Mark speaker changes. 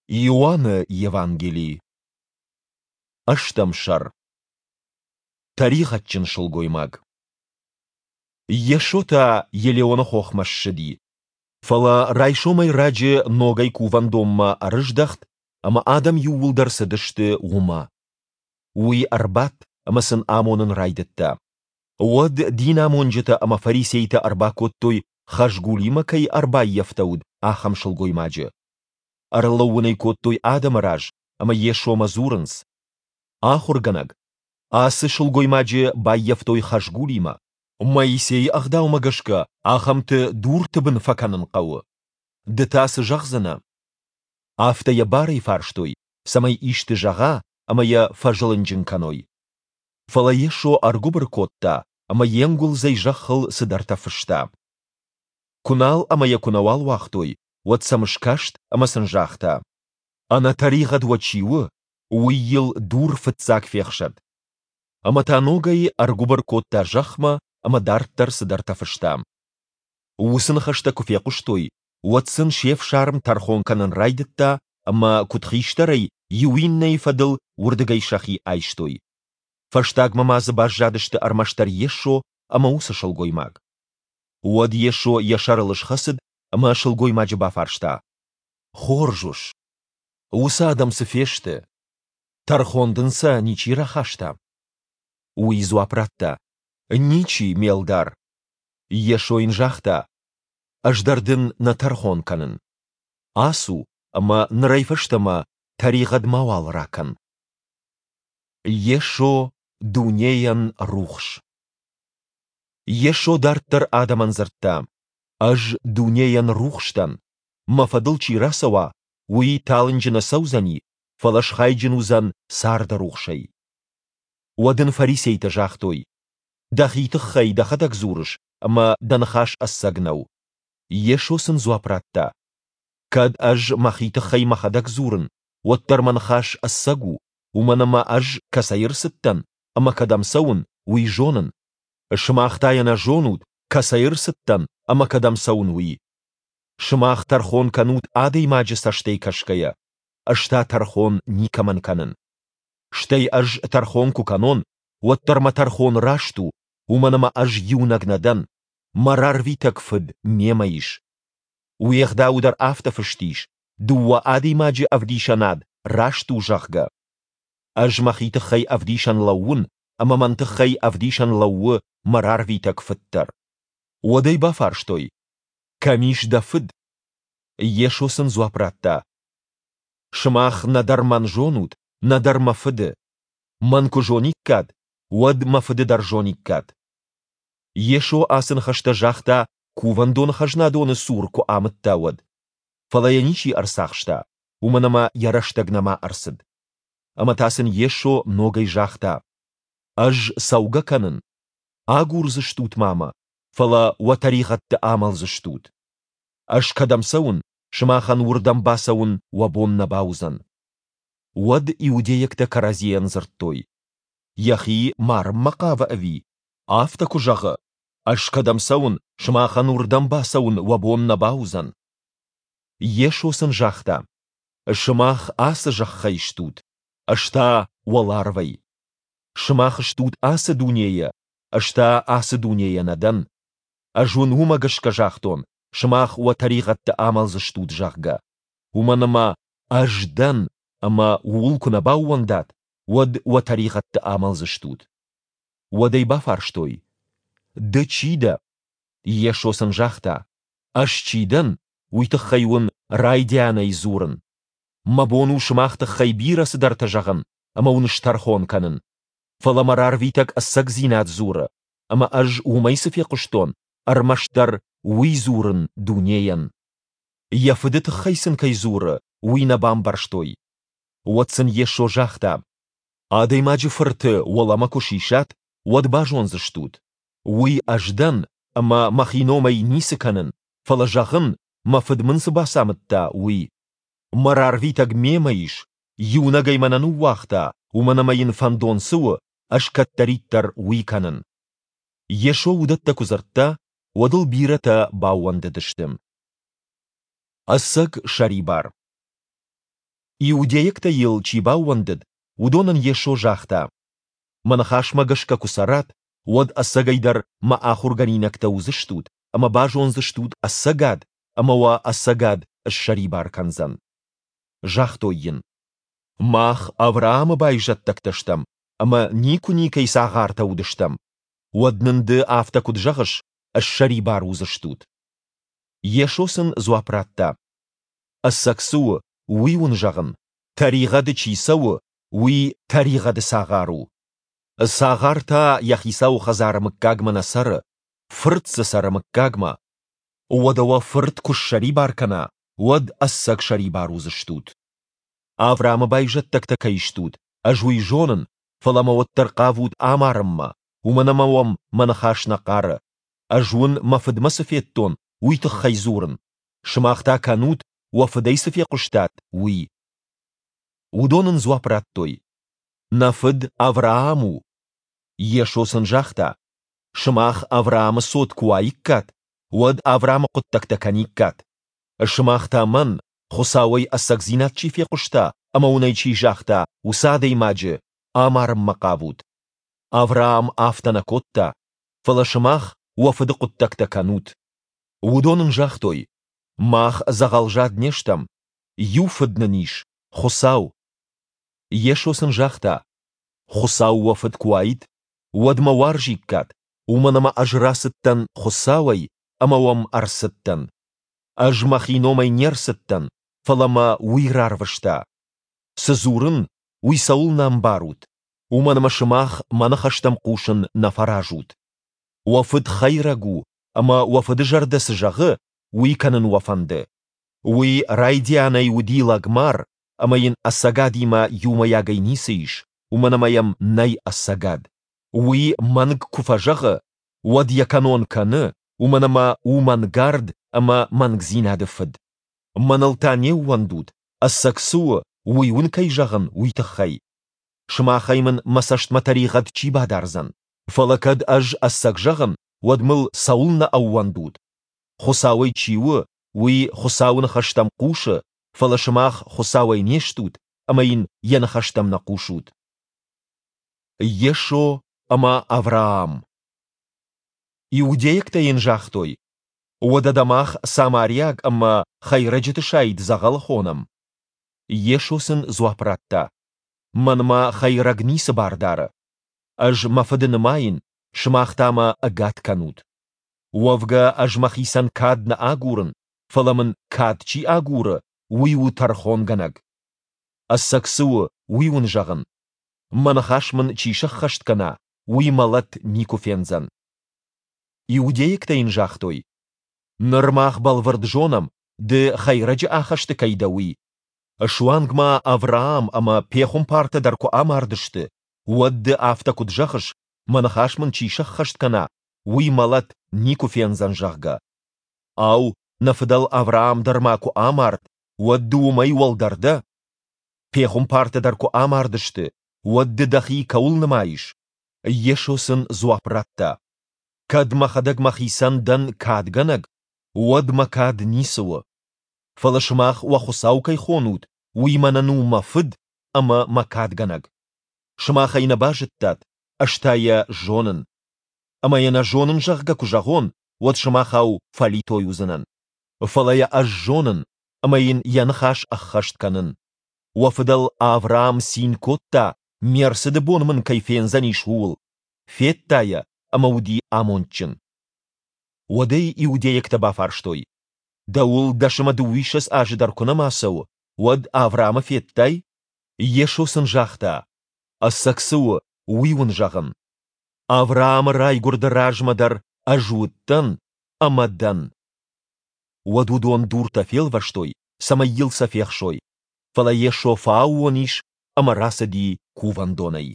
Speaker 1: Иоанны Евангели. Ӕстӕм сӕр. Тӕригъӕдджын сылгоймаг. Йесо та Елеоны хохмӕ ссыди. Фӕлӕ райсомӕй раджы ногӕй кувӕндонмӕ ӕрыздӕхт, ӕмӕ адӕм иууылдӕр цыдысты уымӕ. Уый ӕрбадт ӕмӕ сын амонын райдыдта. Уӕд динамонджытӕ ӕмӕ фарисейтӕ ӕрбакодтой, хӕзгулимӕ кӕй ӕрбаййӕфтӕуыд, ахӕм сылгоймаджы. Ӕрлӕууын ӕй кодтой адӕмы раз ӕмӕ Йесомӕ дзурынц: Ахуыргӕнӕг, ацы сылгоймаджы баййӕфтой хӕзгулимӕ. Моисейы ӕгъдаумӕ гӕсгӕ ахӕмты дурты бын фӕкӕнын хъӕуы. Ды та цы зӕгъдзынӕ? Афтӕ йӕ барӕй фарстой, цӕмӕй исты зӕгъа ӕмӕ йӕ фӕзылынджын кӕной. Фӕлӕ Йесо ӕргуыбыр кодта ӕмӕ йе нгуылдзӕй зӕххыл цыдӕртӕ фыста. Куы нал ӕмӕ йӕ куы нӕуал уагътой, уӕд сӕм скаст ӕмӕ сын загъта: Ӕнӕтӕригъӕд уӕ чи у, уый йыл дур фыццаг фехсӕд. Ӕмӕ та ногӕй ӕргуыбыр кодта зӕхмӕ ӕмӕ дарддӕр цыдӕртӕ фыста. Уыцы ныхӕстӕ куы фехъуыстой, уӕд сын се фсарм тӕрхон кӕнын райдыдта ӕмӕ куыдхистӕрӕй иу иннӕйы фӕдыл уырдыгӕй сӕхи айстой. Фӕстагмӕ ма дзы баззадысты ӕрмӕстдӕр Йесо ӕмӕ уыцы сылгоймаг. Уӕд Йесо йӕ сӕрыл схӕцыд ӕмӕ сылгоймаджы бафарста: Хорз ус, уыцы адӕм цы фесты? Тӕрхон дын сӕ ничи рахаста? Уый дзуапп радта: Ничи, ме лдар. Йесо йын загъта: Ӕз дӕр дын нӕ тӕрхон кӕнын. Ацу ӕмӕ нырӕй фӕстӕмӕ тӕригъӕд мауал ракӕн. Йесо дунейӕн рухс. Йесо дарддӕр адӕмӕн дзырдта: Ӕз дунейӕн рухс дӕн. Мӕ фӕдыл чи рацӕуа, уый талынджы нӕ цӕудзӕни, фӕлӕ схайджын уыдзӕн царды рухсӕй. Уӕд ын фарисейтӕ загътой: Дӕхи тыххӕй дӕхӕдӕг дзурыс, ӕмӕ дӕ ныхас ӕцӕг нӕу. Йесо сын дзуапп радта: Кӕд ӕз мӕхи тыххӕй мӕхӕдӕг дзурын, уӕддӕр мӕ ныхас ӕцӕг у, уымӕн ӕмӕ ӕз кӕцӕй ӕрцыдтӕн ӕмӕ кӕдӕм цӕуын, уый зонын. Сымах та йӕ нӕ зонут, кӕцӕй ӕрцыдтӕн ӕмӕ кӕдӕм цӕуын, уый. Сымах тӕрхон кӕнут адӕймаджы цӕстӕй кӕсгӕйӕ, ӕз та тӕрхон никӕмӕн кӕнын. Стӕй ӕз тӕрхон куы кӕнон, уӕддӕр мӕ тӕрхон раст у, уымӕн ӕмӕ ӕз иунӕг нӕ дӕн, мӕ рарвитӕг Фыд мемӕ ис. Уе гъдауы дӕр афтӕ фыст ис, дыууӕ адӕймаджы ӕвдисӕнад раст у, зӕгъгӕ. Ӕз мӕхи тыххӕй ӕвдисӕн лӕууын, ӕмӕ мӕн тыххӕй ӕвдисӕн лӕууы мӕ рарвитӕг Фыд дӕр. Уӕд ӕй бафарстой: Кӕм ис дӕ Фыд? Йесо сын дзуапп радта: Сымах нӕдӕр мӕн зонут, нӕдӕр мӕ Фыды. Мӕн куы зониккат, уӕд мӕ Фыды дӕр зониккат. Йесо ацы ныхӕстӕ загъта, кувӕндоны хӕзнадоны цур куы амыдта, уӕд. Фӕлӕ йӕ ничи ӕрцахста, уымӕн ӕмӕ йӕ рӕстӕг нӕма ӕрцыд. Ӕмӕ та сын Йесо ногӕй загъта: Ӕз цӕугӕ кӕнын. Агурдзыстут ма мӕ, фӕлӕ уӕ тӕригъӕдты амӕлдзыстут. Ӕз кӕдӕм цӕуын, сымахӕн уырдӕм бацӕуын уӕ бон нӕ бауыдзӕн. Уӕд иудейӕгтӕ кӕрӕдзийӕн дзырдтой: Йӕхи марынмӕ хъавы ӕви? Афтӕ куы зӕгъы, ӕз кӕдӕм цӕуын, сымахӕн уырдӕм бацӕуын уӕ бон нӕ бауыдзӕн. Йесо сын загъта: Сымах ацы зӕххӕй стут, ӕз та уӕларвӕй. Сымах стут ацы дунейӕ, ӕз та ацы дунейӕ нӕ дӕн. Ӕз уын уымӕ гӕсгӕ загътон, сымах уӕ тӕригъӕдты амӕлдзыстут, зӕгъгӕ. Уымӕн ӕмӕ ӕз дӕн, ӕмӕ ууыл куы нӕ баууӕндат, уӕд уӕ тӕригъӕдты амӕлдзыстут. Уӕд ӕй бафарстой: Ды чи дӕ? Йесо сын загъта: Ӕз чи дӕн, уый тыххӕй уын райдианӕй дзурын. Мӕ бон у сымах тыххӕй бирӕ цыдӕртӕ зӕгъын ӕмӕ уын стӕрхон кӕнын. Фӕлӕ мӕ рарвитӕг ӕцӕгдзинад дзуры, ӕмӕ ӕз уымӕй цы фехъуыстон, ӕрмӕстдӕр уый дзурын дунейӕн. Йӕ Фыды тыххӕй сын кӕй дзуры, уый нӕ бамбӕрстой. Уӕд сын Йесо загъта: Адӕймаджы Фырты уӕлӕмӕ куы сисат, уӕд базондзыстут, уый ӕз дӕн ӕмӕ мӕхи номӕй ницы кӕнын, фӕлӕ зӕгъын, мӕ Фыд мын цы бацамыдта, уый. Мӕ рарвитӕг мемӕ ис, иунӕгӕй мӕ нӕ ныууагъта, уымӕн ӕмӕ йын фӕндон цы у, ӕз кӕддӕриддӕр уый кӕнын. Йесо уыдӕттӕ куы дзырдта, уӕд ыл бирӕтӕ баууӕндыдысты. Ӕцӕг сӕрибар. Иудейӕгтӕй Йыл чи баууӕндыд, уыдонӕн Йесо загъта, Мӕ ныхасмӕ гӕсгӕ куы цӕрат, уӕд ӕцӕгӕйдӕр Мӕ ахуыргӕнинӕгтӕ уыдзыстут ӕмӕ базондзыстут ӕцӕгад, ӕмӕ уӕ ӕцӕгад ссӕрибар кӕндзӕн. Загътой йын, Мах Авраамы байзӕддӕгтӕ стӕм ӕмӕ никуы никӕй цагъартӕ уыдыстӕм. Уӕд нын ды афтӕ куыд зӕгъыс, ссӕрибар уыдзыстут? Йесо сын дзуапп радта, Ӕцӕг цы у, уый уын зӕгъын, тӕригъӕды чи цӕуы, уый тӕригъӕды цагъар у. Цагъар та йӕ хицауы хӕдзары мыггагмӕ нӕ цӕры, фырт дзы цӕры мыггагмӕ. Уӕдӕ уӕ фырт куы ссӕрибар кӕна, уӕд ӕцӕг сӕрибар уыдзыстут. Авраамы байзӕддӕгтӕ кӕй стут, ӕз уый зонын, фӕлӕ мӕ уӕддӕр хъавут амарынмӕ, уымӕн ӕмӕ уӕм мӕ ныхас нӕ хъары. Ӕз уын мӕ фыдмӕ цы федтон, уый тыххӕй дзурын, сымах та кӕнут, уӕ фыдӕй цы фехъуыстат, уый. Уыдон ын дзуапп радтой, Нӕ фыд Авраам у. Йесо сын загъта, Сымах Авраамы цот куы уаиккат, уӕд Авраамы хъуыддӕгтӕ кӕниккат. Сымах та мӕн, Хуыцауӕй ӕцӕгдзинад чи фехъуыста ӕмӕ уын ӕй чи загъта, уыцы адӕймаджы, амарынмӕ хъавут. Авраам афтӕ нӕ кодта, фӕлӕ сымах уӕ фыды хъуыддӕгтӕ кӕнут. Уыдон ын загътой, Мах дзӕгъӕлзад не стӕм, иу фыд нын ис, Хуыцау. Йесо сын загъта, Хуыцау уӕ фыд куы уаид, уӕд мӕ уарзиккат, уымӕн ӕмӕ ӕз рацыдтӕн Хуыцауӕй ӕмӕ уӕм ӕрцыдтӕн. Ӕз мӕхи номӕй не рцыдтӕн, фӕлӕ мӕ Уый рарвыста. Цы дзурын, уый цӕуылнӕ ӕмбарут? Уымӕн ӕмӕ сымах мӕ ныхӕстӕм хъусын нӕ фӕразут. Уӕ фыд хӕйрӕг у, ӕмӕ уӕ фыды зӕрдӕ цы зӕгъы, уый кӕнын уӕ фӕнды. Уый райдианӕй уыди лӕгмар, ӕмӕ йын ӕцӕгадимӕ иумӕйагӕй ницы ис, уымӕн ӕмӕ йӕм нӕй ӕцӕгад. Уый мӕнг куы фӕзӕгъы, уӕд йӕ кӕнон кӕны, уымӕн ӕмӕ у мӕнгард ӕмӕ мӕнгдзинады фыд. Мӕныл та не ууӕндут, ӕцӕг цы у, уый уын кӕй зӕгъын, уый тыххӕй. Сымахӕй мын мӕ цӕстмӕ тӕригъӕд чи бадардзӕн? Фӕлӕ кӕд ӕз ӕцӕг зӕгъын, уӕд мыл цӕуылнӕ ӕууӕндут? Хуыцауӕй чи у, уый Хуыцауы ныхӕстӕм хъусы, фӕлӕ сымах Хуыцауӕй не стут ӕмӕ йын йӕ ныхӕстӕм нӕ хъусут. Йесо ӕмӕ Авраам Иудейӕгтӕ йын загътой, Уӕдӕ дӕ мах самариаг ӕмӕ хӕйрӕджыты сайд дзӕгъӕлы хонӕм? Йесо сын дзуапп радта, Мӕнмӕ хӕйрӕг ницы бар дары. Ӕз мӕ Фыды нымайын, сымах та мӕ ӕгад кӕнут. Уӕвгӕ ӕз мӕхицӕн кад нӕ агурын, фӕлӕ мын кад чи агуры, уый у тӕрхонгӕнӕг. Ӕцӕг цы у, уый уын зӕгъын. Мӕ ныхас мын чи сӕххӕст кӕна, уый мӕлӕт никуы фендзӕн. Иудейӕгтӕ йын загътой, Ныр мах бӕлвырд зонӕм, ды хӕйрӕджы ахӕсты кӕй дӕ, уый. Суанг ма Авраам ӕмӕ пехуымпартӕ дӕр куы амардысты, уӕд ды афтӕ куыд зӕгъыс, мӕ ныхас мын чи сӕххӕст кӕна, уый мӕлӕт никуы фендзӕн, зӕгъгӕ? Ау, нӕ фыдӕл Авраам дӕр ма куы амард, уӕд ды уымӕй уӕлдӕр дӕ? Пехуымпартӕ дӕр куы амардысты, уӕд ды дӕхи кӕуыл нымайыс? Йесо сын дзуапп радта, Кӕд мӕхӕдӕг мӕхицӕн дӕн кадгӕнӕг, уӕд мӕ кад ницы у. Фӕлӕ сымах уӕ Хуыцау кӕй хонут, уый мӕнӕн у мӕ Фыд ӕмӕ мӕ кадгӕнӕг. Сымах ӕй нӕ базыдтат, ӕз та йӕ зонын. Ӕмӕ йӕ нӕ зонын, зӕгъгӕ, куы зӕгъон, уӕд сымахау фӕлитой уыдзынӕн. Фӕлӕ йӕ ӕз зонын ӕмӕ йын йӕ ныхас ӕххӕст кӕнын. Уӕ фыдӕл Авраам цин кодта, ме рцыды бон мын кӕй фендзӕнис, ууыл. Федта йӕ ӕмӕ уыди амондджын. Уӕд ӕй иудейӕгтӕ бафарстой, Дӕуыл дӕс ӕмӕ дыууиссӕдз азы дӕр куы нӕма цӕуы, уӕд Авраамы федтай? Йесо сын загъта, Ӕцӕг цы у, уый уын зӕгъын. Авраамы райгуырды размӕ дӕр ӕз уыдтӕн ӕмӕ дӕн. Уӕд уыдон дуртӕ фелвӕстой, цӕмӕй йыл сӕ фехсой. Фӕлӕ Йесо фӕаууон ис ӕмӕ рацыди кувӕндонӕй.